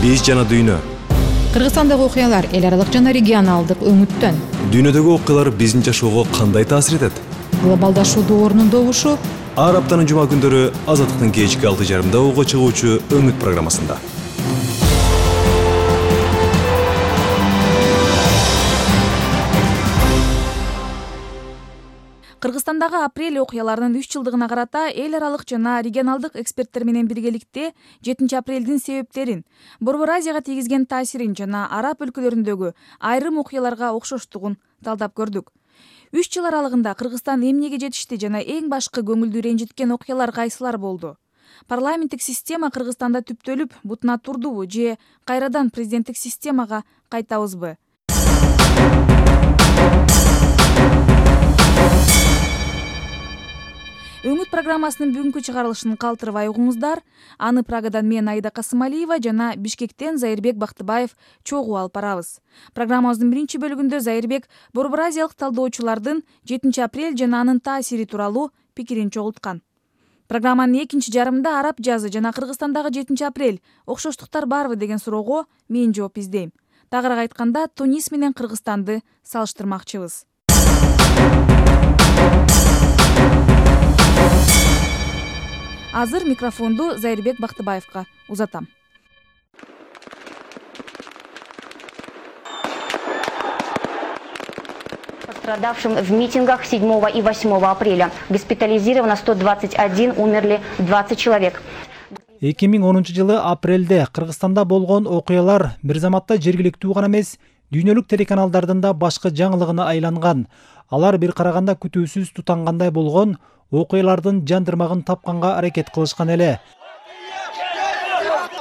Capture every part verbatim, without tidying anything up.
Биз жана дүйнө. Кыргызстандагы окуялар эл аралык жана регионалдык өңүттөн. Дүйнөдөгү окуялар биздин жашоого кандай таасир этет? Глобалдашуудун орнун добушу. Ар аптанын жума күндөрү Азаттыктын кечки алты жарымда уга чыгуучу Өңүт программасында. Кыргызстандагы апрель окуяларынын үч жылдыгына карата эл аралык жана регионалдык эксперттер менен биргеликте жетинчи апрелдин себептерин, Борбор Азияга тийгизген таасирин жана араб өлкөлөрүндөгү айрым окуяларга окшоштугун талдап көрдүк. Үч жыл аралыгында Кыргызстан эмнеге жетишти жана эң башкы көңүлдү ренжиткен окуялар кайсылар болду? Парламенттик система Кыргызстанда түптөлүп, бутуна турдубу же кайрадан президенттик системага кайтабызбы? Өңүт программасынын бүгүнкү чыгарылышын калтырбай угуңуздар. Аны Прагадан мен Аида Касымалиева жана Бишкектен Зайырбек Бактыбаев чогуу алып барабыз. Программабыздын биринчи бөлүгүндө Зайырбек Борбор Азиялык талдоочулардын жетинчи апрель жана анын таасири тууралуу пикирин чогулткан. Программанын экинчи жарымында араб жазы жана Кыргызстандагы жетинчи апрель окшоштуктар барбы деген суроого мен жооп издейм. Тагыраак айтканда, Тунис менен Кыргызстанды салыштырмакчыбыз. Азыр микрофонду Зайырбек Бактыбаевга узатам. Пострадавшим в митингах седьмого и восьмого апреля. Госпитализировано сто двадцать один, умерли двадцать человек. эки миң онунчу жылы апрелде Кыргызстанда болгон окуялар бир заматта жергиликтүү гана эмес, дүйнөлүк телеканалдардын да башкы жаңылыгына айланган. Алар бир караганда күтүүсүз тутангандай болгон окуялардын жандырмагын тапканга аракет кылышкан эле.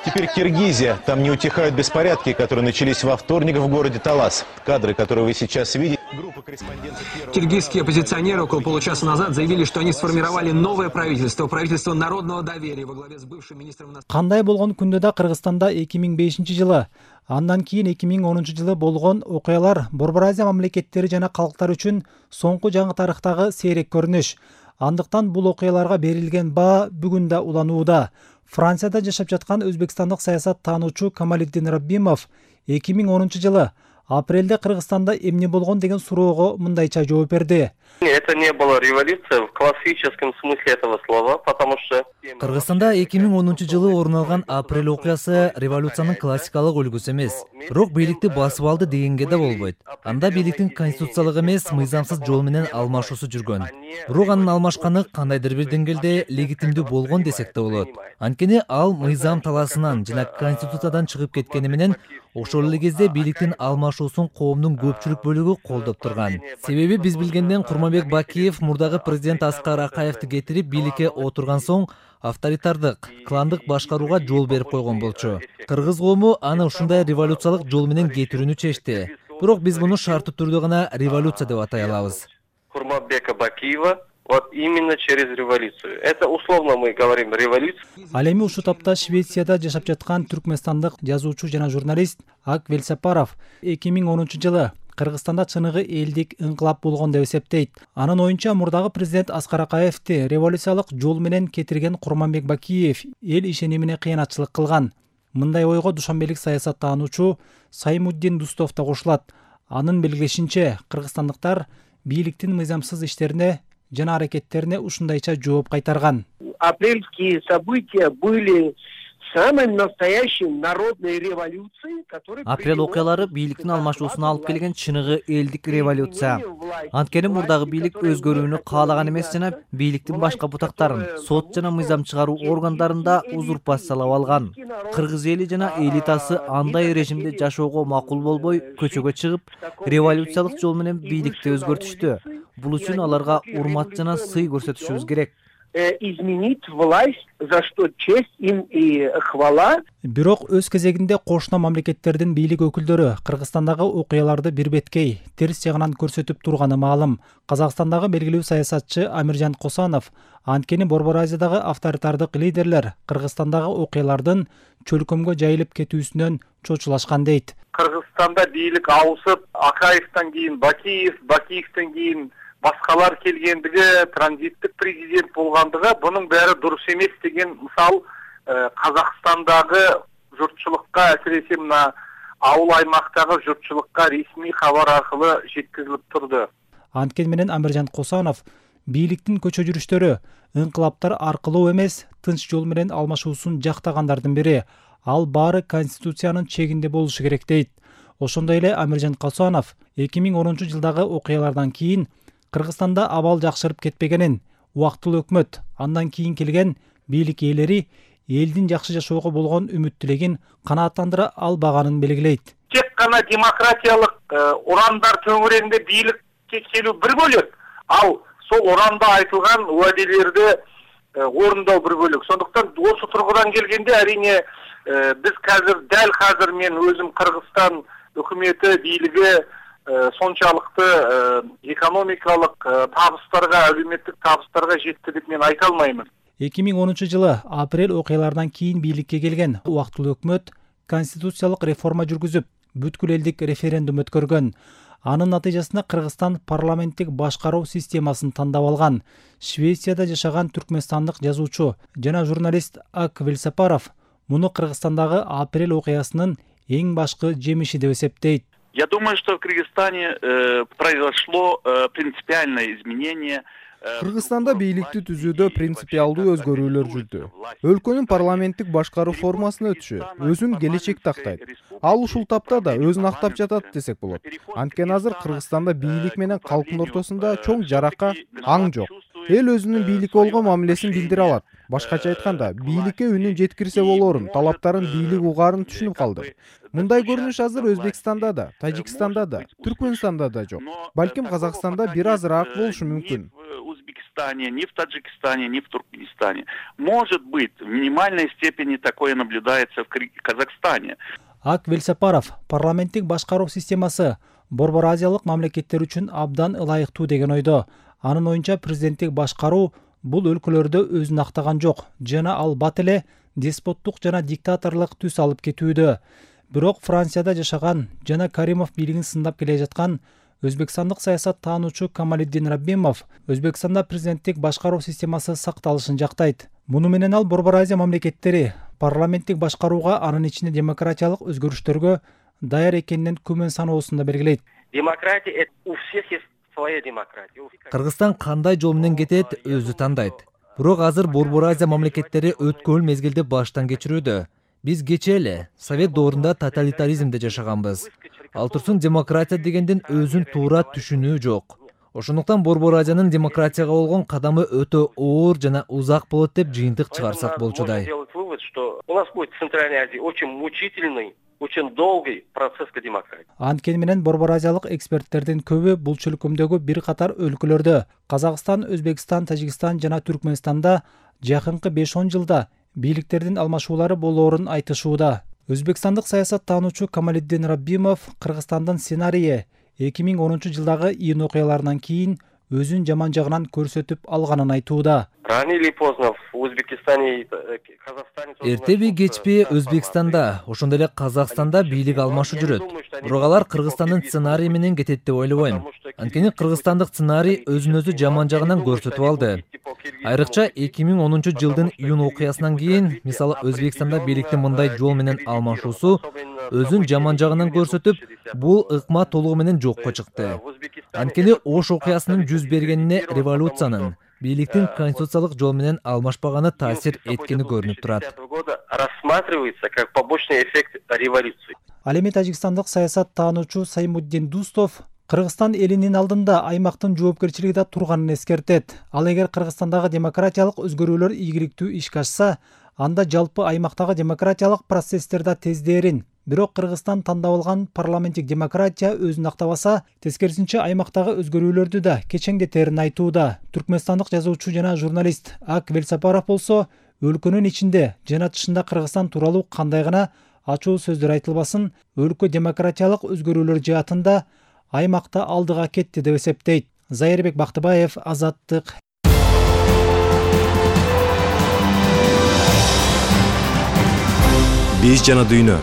Теперь Киргизия. Там не утихают беспорядки, которые начались во вторник в городе Талас. Кадры, которые вы сейчас видите. Группа корреспондентов... Киргизские оппозиционеры около получаса назад заявили, что они сформировали новое правительство, правительство народного доверия во главе с бывшим министром... Кандай болгон күндө да Кыргызстанда эки миң бешинчи жылы, андан кийин эки миң онунчу жылы болгон окуялар Борбор Азия мамлекеттери жана калктар үчүн соңку жаңы тарыхтагы сейрек көрүнүш. Андыктан бул окуяларга берилген баа бүгүн да уланууда. Францияда жашап жаткан өзбекстандык саясат таануучу Камалиддин Раббимов эки миң онунчу жылы апрелде Кыргызстанда эмне болгон деген суроого мындайча жооп берди. Это не была революция в классическом смысле этого слова, потому что... Кыргызстанда эки миң онунчу жылы орун алган апрель окуясы революциянын классикалык үлгүсү эмес. Бирок бийликти басып алды дегенге да болбойт. Анда бийликтин конституциялык эмес, мыйзамсыз жол менен алмашуусу жүргөн. Бирок анын алмашканы кандайдыр бир деңгээлде легитимдүү болгон десек да болот. Анткени ал мыйзам талаасынан жана конституциядан чыгып кеткени менен ошол эле кезде бийликтин алмашуусун коомдун көпчүлүк бөлүгү колдоп турган. Себеби биз билгенден Курманбек Бакиев мурдагы президент Аскар Акаевди кетирип бийликке отурган соң авторитардык, кландык башкарууга жол берип койгон болчу. Кыргыз коому аны ушундай революциялык жол менен кетирүүнү чечти. Бирок биз муну шарттуу түрдө гана революция деп атай алабыз. Курманбека Бакиева вот именно через революцию. Это условно мы говорим революция. Ал эми ушул тапта Швецияда жашап жаткан түркмөнстандык жазуучу жана журналист Ак Велсапаров эки миң онунчу жылы Кыргызстанда чыныгы элдик ыңкылап болгон деп эсептейт. Анын оюнча мурдагы президент Аскар Акаевди революциялык жол менен кетирген Курманбек Бакиев эл ишенимине кыянатчылык кылган. Мындай ойго душанбелик саясат таануучу Саймуддин Дустов да кошулат. Анын белгилешинче, кыргызстандыктар бийликтин мыйзамсыз иштерине жана аракеттерине ушундайча жооп кайтарган. Апрельские события были самой настоящей народной революцией, которая... Апрель окуялары бийликтин алмашуусуна алып келген чыныгы элдик революция. Анткени мурдагы бийлик өзгөрүүнү каалаган эмес жана бийликтин башка бутактарын, сот жана мыйзам чыгаруу органдарында узурпациялап алган. Кыргыз эли жана элитасы андай режимде жашоого макул болбой, көчөгө чыгып, революциялык жол менен бийликти өзгөртүштү. Бул үчүн аларга урмат жана сый көрсөтүшүбүз керек. Изменить власть, за что честь им и хвала. Бирок өз кезегинде кошуна мамлекеттердин бийлик өкүлдөрү Кыргызстандагы окуяларды бир беткей, терс жагынан көрсөтүп турганы маалым. Казакстандагы белгилүү саясатчы Амиржан Косанов анткени Борбор Азиядагы авторитардык лидерлер Кыргызстандагы окуялардын чөлкөмгө жайылып кетүүсүнөн чочулашкан дейт. Кыргызстанда бийлик ауысып, Акаевтен кийин Бакиев, Бакиевтен кийин башкалар келгендиги, транзиттик президент болгондугу, бунун баары дурус эмес деген мисал Казакстандагы журтчулукка, әсіресе мына ауыл аймақтағы журтчулукка ресми хабар аркылы жеткизилип турду. Анткени менен Амиржан Косанов бийликтин көчө жүрүштөрү ыңкылаптар аркылуу эмес, тынч жол менен алмашуусун жактагандардын бири. Ал баары конституциянын чегинде болушу керек дейт. Ошондой эле Амиржан Косанов эки миң онунчу жылдагы окуялардан кийин Кыргызстанда абал жакшырып кетпегенин, убактылуу өкмөт, андан кийин келген бийлик ээлери элдин жакшы жашоого болгон үмүт тилегин канааттандыра албаганын белгилейт. Тек гана демократиялык урандар төңүрөгүндө бийликке келүү бир бөлөк, ал сол уранда айтылган уаделерди орындоо бир бөлөк. Сондуктан осы тургудан келгенде әрине биз қазір дәл қазір мен өзім Кыргызстан өкмөтү бийлиги сончалықты экономикалык табыстарга, әлеуметтик табыстарга жетти деп мен айта алмаймын. эки миң онунчу жылы апрель окуяларынан кийин бийликке келген убактылуу өкмөт конституциялык реформа жүргүзүп, бүткүл элдик референдум өткөргөн. Анын натыйжасында Кыргызстан парламенттик башкаруу системасын тандап алган. Швецияда жашаган түркмөнстандык жазуучу жана журналист Ак Велсапаров муну Кыргызстандагы апрель окуясынын эң башкы жемиши деп эсептейт. Я думаю, что в Кыргызстане э, произошло э, принципиальное изменение. Кыргызстанда бийликти түзүүдө принципиалдуу өзгөрүүлөр жүрдү. Өлкөнүн парламенттик башкаруу формасына өтүшү өзүн келечекте актайт. Ал ушул тапта да өзүн актап жатат десек болот. Анткени азыр Кыргызстанда бийлик менен калктын ортосунда чоң жарака аң жок. Эл өзүнүн бийликке болгон мамилесин билдире алат. Башкача айтканда, бийликке үнүн жеткирсе болорун, талаптарын бийлик угаарын түшүнүп калды. Мындай көрүнүш азыр Өзбекстанда да, Тажикстанда да, Түркмөнстанда да жок. Балким Казакстанда бир азыраак болушу мүмкүн. Ни в Таджикистане, ни в Туркменистане. Может быть, в минимальной степени такое наблюдается в Казахстане. Ак Велсапаров парламенттик башкаруу системасы Борбор Азиялык мамлекеттер үчүн абдан ылайыктуу деген ойдо. Анын оюнча президенттик башкаруу бул өлкөлөрдө өзүн актаган жок жана ал бат эле деспоттук жана диктаторлук түс алып кетүүдө. Бирок Францияда жашаган жана Каримов бийлигин сындап келе жаткан Өзбекстандык саясат таануучу Камалиддин Раббимов Өзбекстанда президенттик башкаруу системасы сакталышын жактайт. Муну менен ал Борбор Азия мамлекеттери парламенттик башкарууга, анын ичинде демократиялык өзгөрүштөргө даяр экенинен күмөн саноосунда белгилейт. Демократия у всех есть своя демократия. Кыргызстан кандай жол менен кетет, өзү тандайт. Бирок азыр Борбор Азия мамлекеттери өткөн мезгилди баштан кечирүүдө. Биз кечээ эле Совет доорунда тоталитаризмде жашаганбыз. Ал турсун демократия дегендин өзүн туура түшүнүү жок. Ошондуктан Борбор Азиянын демократияга болгон кадамы өтө оор жана узак болот деп жыйынтык чыгарсак болчудай. У нас будет в Центральной Азии очень мучительный, очень долгий процесс к демократии. Анткени менен Борбор Азиялык эксперттердин көбү бул чөлкөмдөгү бир катар өлкөлөрдө Казакстан, Өзбекстан, Тажикстан жана Түркмөнстанда жакынкы беш он жылда бийликтердин алмашуулары болоорун айтышууда. Өзбекстандык саясат таануучу Камалиддин Раббимов Кыргызстандын сценарийи эки миң онунчу жылдагы июнь окуяларынан кийин өзүн жаман жагынан көрсөтүп алганын айтууда. Рано или поздно в Узбекистане, Казахстане... Эртеби кечпи Өзбекстанда, ошондой эле Казакстанда бийлик алмашуу жүрөт. Бирок алар Кыргызстандын сценарийи менен кетет деп ойлобойм. Анткени кыргызстандык сценарий өзүн өзү жаман жагынан көрсөтүп алды. Айрыкча эки миң онунчу жылдын июнь окуясынан кийин, мисалы Өзбекстанда бийликтин мындай жол менен алмашуусу өзүн жаман жагынан көрсөтүп, бул ыкма толугу менен жокко чыкты. Анткени Ош окуясынын жүз бергенине революциянын, бийликтин конституциялык жол менен алмашпаганы таасир эткени көрүнүп турат. Рассматривается как побочный эффект революции. Ал эми тажикстандык саясат таануучу Саймуддин Дустов Кыргызстан элинин алдында аймактын жоопкерчилиги да турганын эскертет. Ал эгер Кыргызстандагы демократиялык өзгөрүүлөр ийгиликтүү ишке ашса, анда жалпы аймактагы демократиялык процесстер да тездээрин. Бирок Кыргызстан тандап алган парламенттик демократия өзүн актабаса, тескерисинче аймактагы өзгөрүүлөрдү да кечеңдетерин айтууда. Түркмөнстандык жазуучу жана журналист Ак Велсапаров болсо, өлкөнүн ичинде жана тышында Кыргызстан тууралуу кандай гана ачуу сөздөр айтылбасын, өлкө демократиялык өзгөрүүлөр жаатында аймакта алдыга кетти деп эсептейт. Зайырбек Бактыбаев, Азаттык. Биз жана дүйнө.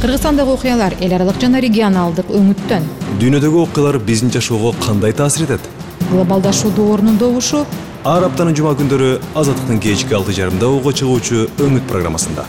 Кыргызстандагы окуялар эл аралык жана регионалдык өңүттөн. Дүйнөдөгү окуялар биздин жашоого кандай таасир этет? Глобалдашуу доорунун добушу. Ар аптанын жума күндөрү Азаттыктын кечки алты жарымда угуп чыгуучу өңүт программасында.